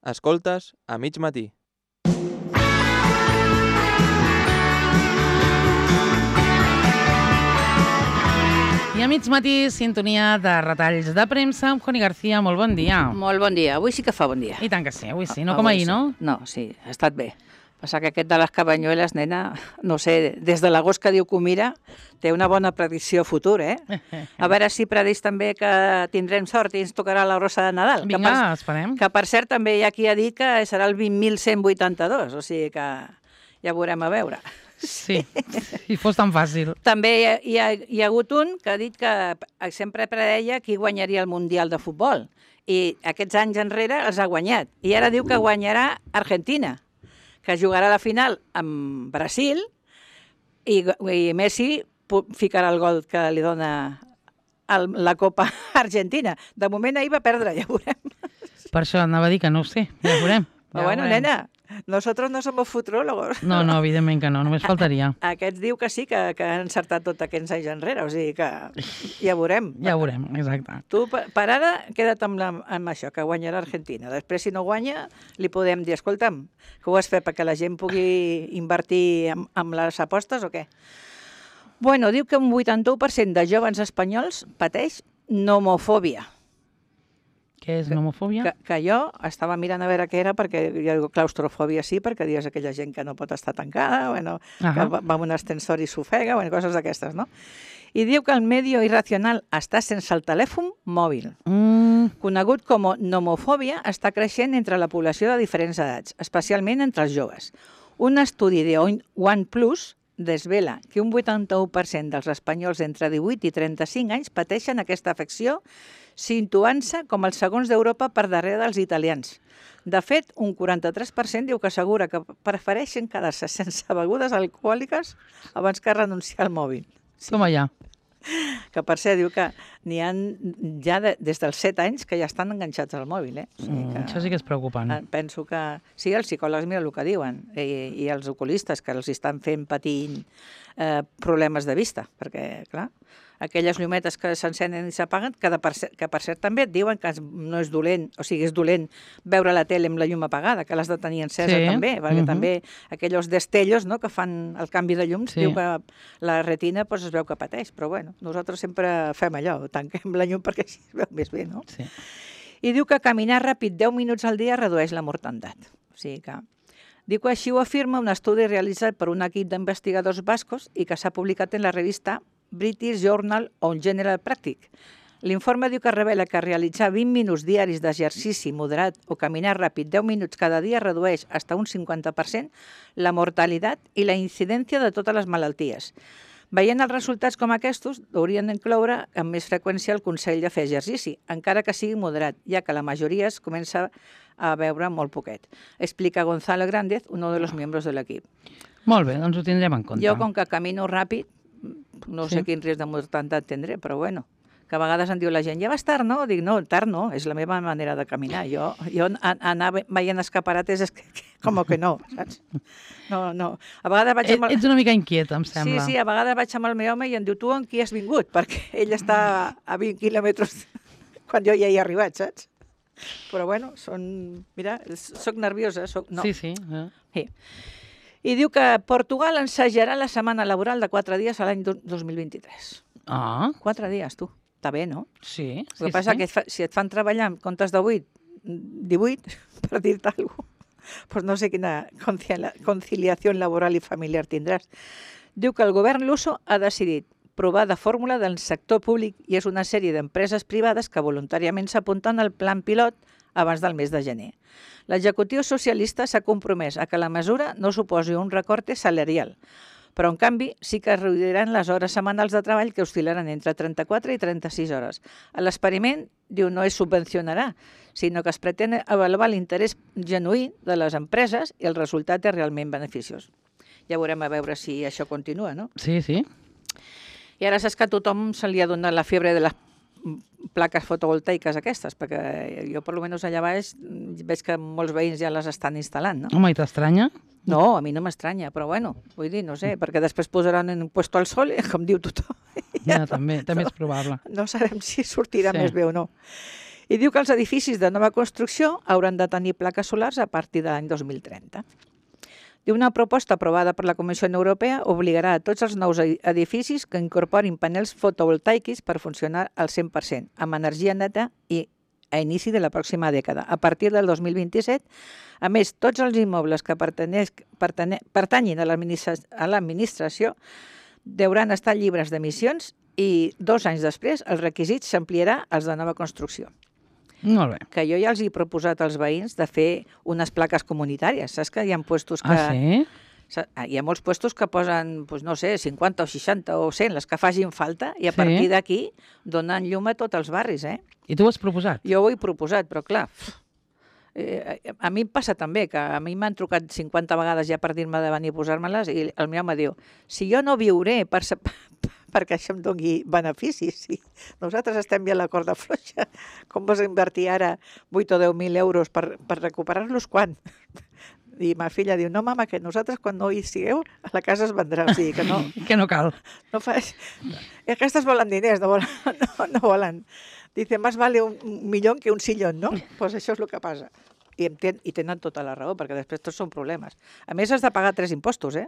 Escoltes a mig matí. I a mig matí, sintonia de retalls de premsa amb Connie García. Molt bon dia. Molt bon dia. Avui sí que fa bon dia. I tant que sí, avui sí. No com ahir, no? No, sí, ha estat bé. Passa que aquest de les Cabanyueles, nena, no sé, des de l'agost que diu que ho mira, té una bona predicció futur, eh? A veure si predeix també que tindrem sort i ens tocarà la rosa de Nadal. Vinga, esperem. Que per cert també hi ha qui ha dit que serà el 20.182, o sigui que ja veurem a veure. Sí, si fos tan fàcil. També hi ha hagut un que ha dit que sempre predeia qui guanyaria el Mundial de Futbol. I aquests anys enrere els ha guanyat. I ara diu que guanyarà Argentina, que jugarà la final amb Brasil i Messi ficarà el gol que li dona la Copa Argentina. De moment ahir va perdre, ja veurem. Per això anava a dir que no ho sé, ja veurem. Però bueno, nena, nosotros no somos futurólogos. No, evidentment que no, només faltaria. Aquests diu que sí, que han encertat tot aquests anys enrere, o sigui que ja veurem. Ja veurem, exacte. Tu, per ara, queda't amb això, que guanyarà Argentina. Després, si no guanya, li podem dir, escolta'm, que ho has fet perquè la gent pugui invertir en les apostes o què? Bueno, diu que un 81% de joves espanyols pateix nomofòbia. Què és nomofòbia? Que jo estava mirant a veure què era, perquè jo dic claustrofòbia sí, perquè dius aquella gent que no pot estar tancada, bueno, que va amb un ascensor i s'ofega, bueno, coses d'aquestes, no? I diu que el medio irracional està sense el telèfon mòbil. Conegut com nomofòbia, està creixent entre la població de diferents edats, especialment entre els joves. Un estudi de OnePlus desvela que un 81% dels espanyols entre 18 i 35 anys pateixen aquesta afecció, situant-se com els segons d'Europa per darrere dels italians. De fet, un 43% diu que assegura que prefereixen quedar-se sense begudes alcohòliques abans que renunciar al mòbil. Sí. Com allà. Que per cert, diu que n'hi ha ja des dels 7 anys que ja estan enganxats al mòbil. O sigui que, això sí que és preocupant. Penso que sí, els psicòlegs, mira el que diuen, i els oculistes, que els estan fent patir problemes de vista, perquè, clar, aquelles llumetes que s'encenen i s'apaguen, que per cert també et diuen que no és dolent, o sigui, és dolent veure la tele amb la llum apagada, que l'has de tenir encesa també, perquè també aquells destellos que fan el canvi de llums, diu que la retina es veu que pateix, però bueno, nosaltres sempre fem allò, tanquem la llum perquè així es veu més bé, no? Sí. I diu que caminar ràpid 10 minuts al dia redueix la mortandat. O sigui que diu que així ho afirma un estudi realitzat per un equip d'investigadors bascos i que s'ha publicat en la revista British Journal on General Practice. L'informe diu que revela que realitzar 20 minuts diaris d'exercici moderat o caminar ràpid 10 minuts cada dia redueix fins a un 50% la mortalitat i la incidència de totes les malalties. Veient els resultats com aquests, haurien d'incloure amb més freqüència el consell de fer exercici, encara que sigui moderat, ja que la majoria es comença a veure molt poquet. Explica Gonzalo Grández, uno de los miembros de l'equip. Molt bé, doncs ho tindrem en compte. Jo, com que camino ràpid, no sé quin risc de mortalitat tindré, però bueno, que a vegades em diu la gent, ja vas tard, no? Dic, no, tard no, és la meva manera de caminar. Jo anar veient escaparates és com que no, saps? No. A vegades vaig amb Ets una mica inquiet, em sembla. Sí, a vegades vaig amb el meu home i em diu, tu amb qui has vingut? Perquè ell està a 20 quilòmetres quan jo ja hi he arribat, saps? Però bueno, mira, soc nerviosa. No. Sí. I diu que Portugal ensajarà la setmana laboral de 4 dies a l'any 2023. 4 dies, tu. Està bé, no? Sí. El que passa que si et fan treballar en comptes de 18, per dir-te alguna cosa, pues no sé quina conciliació laboral i familiar tindràs. Diu que el govern luso ha decidit provar de fórmula del sector públic i és una sèrie d'empreses privades que voluntàriament s'apunten al plan pilot abans del mes de gener. L'executiu socialista s'ha compromès a que la mesura no suposi un recorte salarial, però en canvi sí que es reduiran les hores setmanals de treball que oscil·laran entre 34 i 36 hores. L'experiment, diu, no es subvencionarà, sinó que es pretén avaluar l'interès genuí de les empreses i el resultat és realment beneficiós. Ja veurem a veure si això continua, no? Sí. I ara saps que a tothom se li ha donat la fiebre de les plaques fotovoltaiques aquestes, perquè jo, per almenys allà baix, veig que molts veïns ja les estan instal·lant, no? Home, i t'estranya? No, a mi no m'estranya, però bueno, vull dir, no sé, perquè després posaran en un puesto al sol, com diu tothom. Ja, també és probable. No sabem si sortirà més bé o no. I diu que els edificis de nova construcció hauran de tenir plaques solars a partir de l'any 2030. Diu una proposta aprovada per la Comissió Europea obligarà a tots els nous edificis que incorporin panels fotovoltaics per funcionar al 100%, amb energia neta i a inici de la pròxima dècada. A partir del 2027, a més, tots els immobles que pertanyin a l'administració deuen estar lliures d'emissions i 2 anys després el requisit s'ampliarà als de nova construcció. Molt bé. Que jo ja els he proposat als veïns de fer unes plaques comunitàries. Saps que hi ha puestos que... Ah, sí? Hi ha molts puestos que posen, doncs no sé, 50 o 60 o 100, les que facin falta, i a Sí. partir d'aquí donen llum a tots els barris, eh? I tu ho has proposat? Jo ho he proposat, però clar, a mi em passa també, que a mi m'han trucat 50 vegades ja per dir-me de venir a posar-me-les i el meu home diu, si jo no viuré perquè això em doni beneficis, si nosaltres estem ja a la corda fluixa, com vas invertir ara 8 o 10.000 euros per recuperar-los quan? I ma filla diu, no, mama, que nosaltres quan no hi sigueu, a la casa es vendrà, o sigui que no... Que no cal. No fas... Aquestes volen diners, no volen. Dice, más vale un millón que un sillón, no? Pues això és el que passa. I tenen tota la raó, perquè després tots són problemes. A més, has de pagar 3 impostos, eh?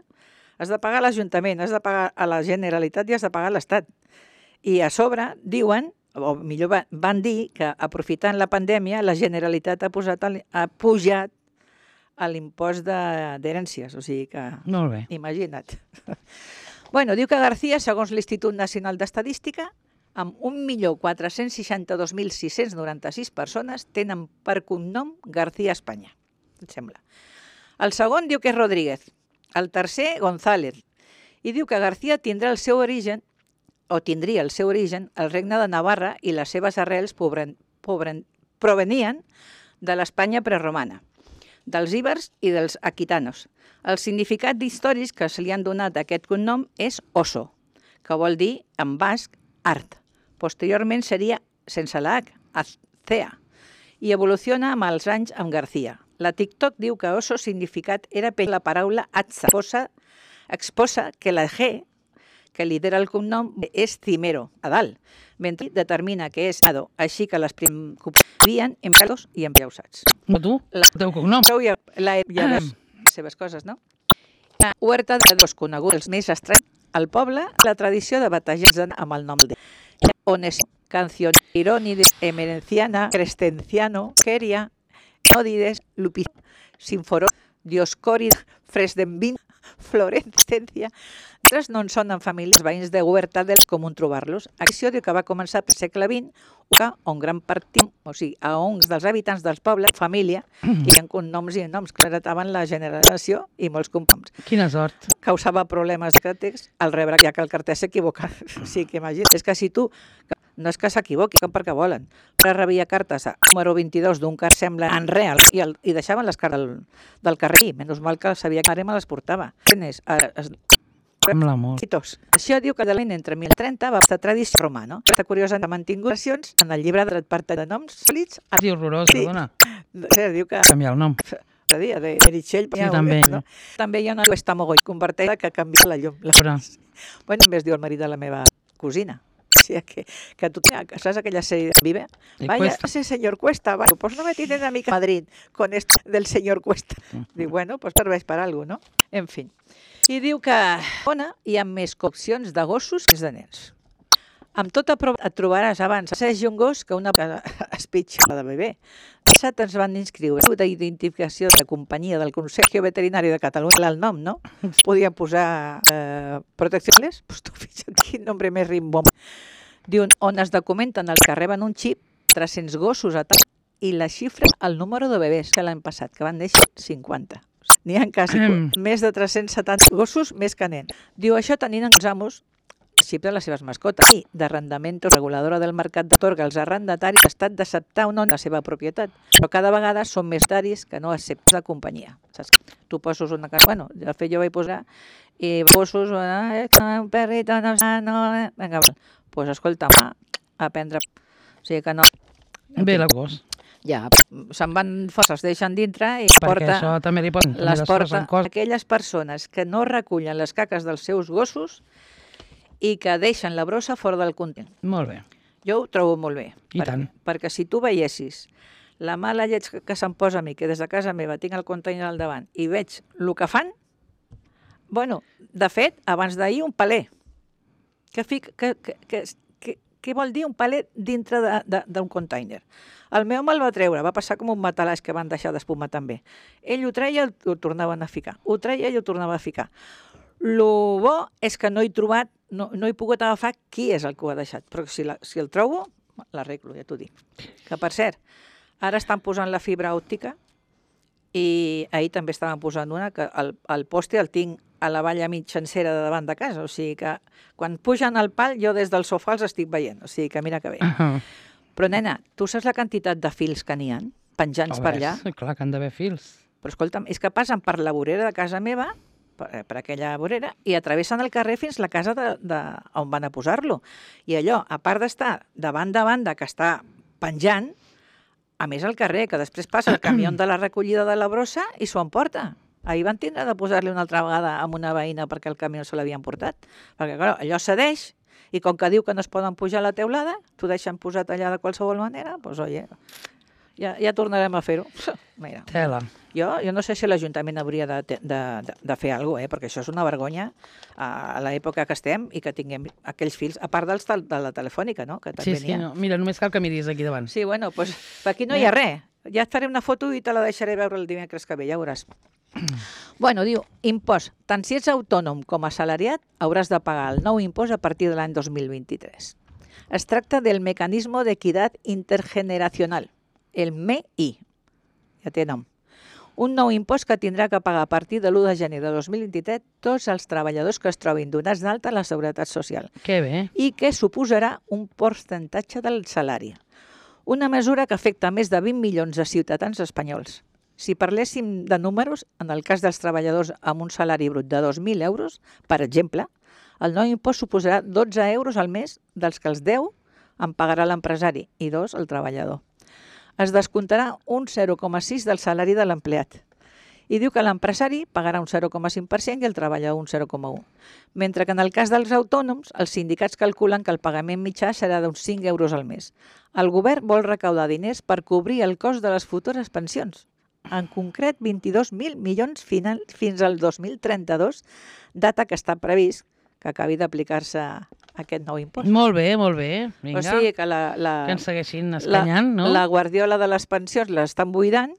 Has de pagar a l'Ajuntament, has de pagar a la Generalitat i has de pagar a l'Estat. I a sobre diuen, o millor van dir, que aprofitant la pandèmia, la Generalitat ha pujat l'impost d'herències, o sigui que... Molt bé. Imagina't. Bueno, diu que García, segons l'Institut Nacional d'Estadística, amb 1.462.696 persones tenen per cognom García Espanya, em sembla. El segon diu que és Rodríguez, el tercer González, i diu que García tindria el seu origen al regne de Navarra i les seves arrels provenien de l'Espanya preromana, dels íbers i dels aquitanos. El significat històric que se li han donat a aquest cognom és oso, que vol dir, en basc, art. Posteriorment seria, sense la H, azcea, i evoluciona amb els anys amb García. La TikTok diu que oso significat era per la paraula atza, exposa que la G, que lidera el cognom, és cimero, a dalt, mentre determina que és ado, així que les vivien en pelos i en llausats. Però tu, el teu cognom. Ja veus les seves coses, no? La huerta de dos coneguts, els més estranys, al poble, la tradició de batejar amb el nom de on és Canción Ironides, Emerenciana, Crescenciano, Queria, Nódides, Lupi, Sinforó, Dioscòrid, Fresdenvin, Florencia. Altres no en sonen famílies veïns de Huerta del comú trobar-los. Acció diu que va començar al segle XX, on gran part, o sigui, a uns dels habitants dels pobles, família, hi ha cognoms i noms que heretaven la generació i molts cognoms. Quina sort. Causava problemes de text al rebre, ja que el carter s'equivoca. Sí, que imagina't. És que si tu, no és que s'equivoqui, perquè volen, però rebia cartes a número 22 d'un car sembla en real i deixaven les cartes del carrer. Menys mal que sabia que ara me les portava. Amb l'amor. Això diu que entre 1030 va estar tradició romà, no? Aquesta curiosa ha mantingut versions en el llibre de part de noms sòlids. Sí, horrorós, perdona. Diu que... Canviar el nom. De Meritxell. Sí, també. No? També hi ha una cuesta mogoll, converteix que canvia la llum. Bueno, també es diu el marit de la meva cosina. O sigui, que tu saps aquella sèrie de Vive? Vaya, ese señor Cuesta, vaya, pues no me tienen a mi Madrid con esto del señor Cuesta. Diu, bueno, pues serveix per algo, no? En fin. I diu que hi ha més coccions de gossos que de nens. Amb tota prova et trobaràs abans asseix un gos que una espitxa de bebè. Passat ens van inscriure d'identificació de companyia del Consell Veterinari de Catalunya, el nom, no? Podia posar protecciones? Pues tu fixa't quin nombre més rimbom. Diu, on es documenten els que reben un xip, 300 gossos a tal, i la xifra el número de bebès que l'any passat, que van néixer 50. N'hi ha quasi més de 370 gossos més que nens. Diu, això tenint els amos el xip de les seves mascotes i d'arrendament reguladora del mercat d'atorga als arrendataris l'estat d'acceptar o no la seva propietat. Però cada vegada són més taris que no acceptes de companyia. Saps? Tu poses una casa... Bueno, de fet jo vaig posar i poses un perrito, no... Vinga, doncs escolta, a prendre... O sigui que no... Bé, la gos. Ja, se'n van fora, es deixen dintre i perquè això també li poden... les porta aquelles persones que no recullen les caques dels seus gossos i que deixen la brossa fora del content. Molt bé. Jo ho trobo molt bé. I tant. Perquè si tu veiessis la mala lleig que se'm posa a mi, que des de casa meva tinc el container al davant, i veig el que fan, bueno, de fet, abans d'ahir un paler. Què vol dir un paler dintre d'un container? El meu me'l va treure, va passar com un matalàs que van deixar d'espumar també. Ell ho treia i ho tornaven a ficar. Ho treia i ho tornava a ficar. Lo bo és que no he trobat, no he pogut agafar qui és el que ho ha deixat, però si el trobo, l'arreglo, ja t'ho dic. Que, per cert, ara estan posant la fibra òptica i ahir també estaven posant una, que el poste el tinc a la valla mitjancera de davant de casa, o sigui que quan pugen al pal jo des del sofà els estic veient, o sigui que mira que bé. Però, nena, tu saps la quantitat de fils que n'hi ha penjants per allà? Clar que han d'haver fils. Però escolta'm, és que passen per la vorera de casa meva, per aquella vorera, i atravessen el carrer fins a la casa on van a posar-lo. I allò, a part d'estar de banda a banda, que està penjant, a més al carrer, que després passa el camió de la recollida de la brossa i s'ho emporta. Ahir van tindre de posar-li una altra vegada a una veïna perquè el camió se l'havien portat. Perquè, clar, allò cedeix, i com que diu que no es poden pujar a la teulada, t'ho deixen posat allà de qualsevol manera, doncs, oye, ja tornarem a fer-ho. Mira, Tela. jo no sé si l'Ajuntament hauria de fer alguna cosa, perquè això és una vergonya a l'època que estem i que tinguem aquells fils, a part dels de la telefònica, no? Que també Sí, no. Mira, només cal que miris aquí davant. Sí, bueno, doncs aquí no hi ha res. Ja et faré una foto i te la deixaré veure el dimecres que ve, ja veuràs. Bueno, diu, impost. Tant si ets autònom com assalariat, hauràs de pagar el nou impost a partir de l'any 2023. Es tracta del Mecanismo de Equidad Intergeneracional, el MEI. Ja té nom. Un nou impost que tindrà que pagar a partir de l'1 de gener de 2023 tots els treballadors que es trobin donats d'alta a la Seguretat Social Que bé. i que suposarà un percentatge del salari. Una mesura que afecta més de 20 milions de ciutadans espanyols. Si parléssim de números, en el cas dels treballadors amb un salari brut de 2.000 euros, per exemple, el nou impost suposarà 12 euros al mes dels que els 10 en pagarà l'empresari i 2 el treballador. Es descomptarà un 0,6 del salari de l'empleat. I diu que l'empresari pagarà un 0,5% i el treballador un 0,1%. Mentre que en el cas dels autònoms, els sindicats calculen que el pagament mitjà serà d'uns 5 euros al mes. El govern vol recaudar diners per cobrir el cost de les futures pensions. En concret, 22.000 milions fins al 2032, data que està previst que acabi d'aplicar-se aquest nou impost. Molt bé, molt bé. Vinga, O sigui que que ens segueixin escanyant, no? la guardiola de les pensions l'estan buidant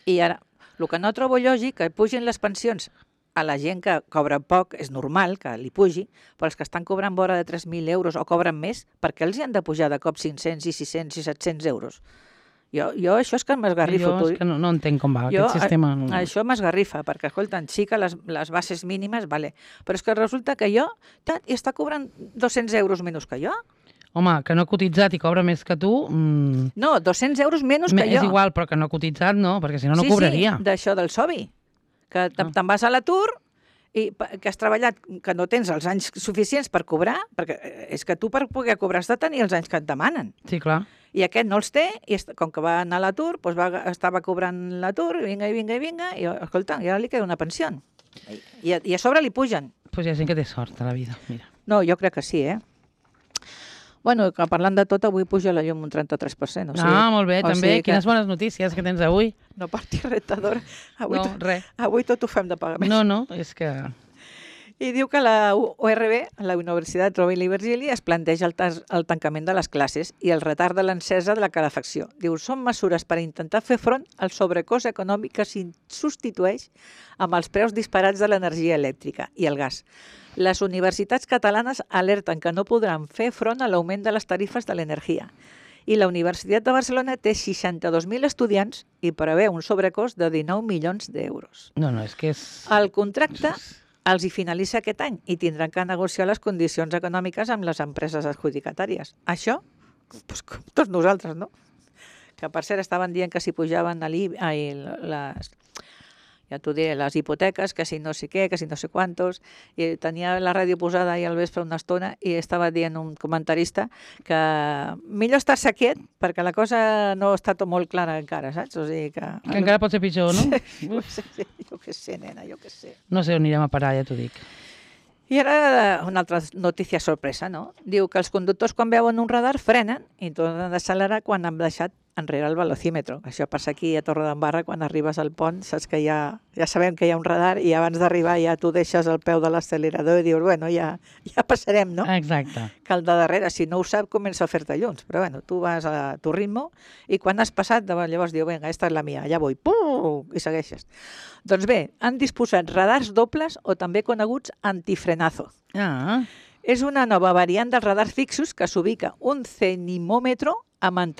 i ara, el que no trobo lògic que pugin les pensions a la gent que cobra poc, és normal que li pugi, però els que estan cobrant vora de 3.000 euros o cobren més, per què els hi han de pujar de cop 500 i 600 i 700 euros? Jo això és que m'esgarrifo. Jo és que no entenc com va aquest sistema. Això m'esgarrifa, perquè, escolta, sí que les bases mínimes, vale, però és que resulta que jo està cobrant 200 euros menys que jo. Home, que no ha cotitzat i cobra més que tu... No, 200 euros menys que jo. És igual, però que no ha cotitzat, no, perquè si no, no cobraria. Sí, d'això del SOBI, que te'n vas a l'atur i que has treballat, que no tens els anys suficients per cobrar, perquè és que tu per poder cobrar has de tenir els anys que et demanen. Sí, clar. I aquest no els té, i com que va anar a l'atur, doncs estava cobrant l'atur, i vinga, i escolta, ja li queda una pensió. I a sobre li pugen. Doncs hi ha gent que té sort a la vida, mira. No, jo crec que sí, Bueno, que parlant de tot, avui puja la llum un 33%. Molt bé, també. Quines bones notícies que tens avui. No partir rentadora. No, res. Avui tot ho fem de pagament. No, és que... I diu que la URB, la Universitat Rovira i Virgili, es planteja el tancament de les classes i el retard de l'encesa de la calefacció. Diu, són mesures per intentar fer front al sobrecost econòmic que s'hi substitueix amb els preus disparats de l'energia elèctrica i el gas. Les universitats catalanes alerten que no podran fer front a l'augment de les tarifes de l'energia. I la Universitat de Barcelona té 62.000 estudiants i preveu un sobrecost de 19 milions d'euros. No, és que és... El contracte els hi finalitza aquest any i tindran que negociar les condicions econòmiques amb les empreses adjudicatàries. Això, doncs, com tots nosaltres, no? Que per cert estaven dient que si pujaven ja t'ho diré, les hipoteques, que si no sé què, que si no sé quantos, i tenia la ràdio posada ahir al vespre una estona i estava dient un comentarista que millor estar-se quiet perquè la cosa no està tot molt clara encara, saps? O sigui que encara pot ser pitjor, no? Jo què sé, nena, jo què sé. No sé on anirem a parar, ja t'ho dic. I ara una altra notícia sorpresa, no? Diu que els conductors quan veuen un radar frenen i tornen d'accelerar quan han deixat enrere el velocímetre. Això passa aquí a Torredembarra quan arribes al pont, saps que ja sabem que hi ha un radar i abans d'arribar ja tu deixes el peu de l'accelerador i dius, bueno, ja passarem, no? Exacte. Que el de darrere, si no ho sap, comença a fer-te llums. Però bueno, tu vas a tu ritme i quan has passat, llavors diu, vinga, esta és la mia, ja vull, pum, i segueixes. Doncs bé, han disposat radars dobles o també coneguts antifrenazo. Ah, És una nova variant dels radars fixos que s'ubica un cenimòmetre amb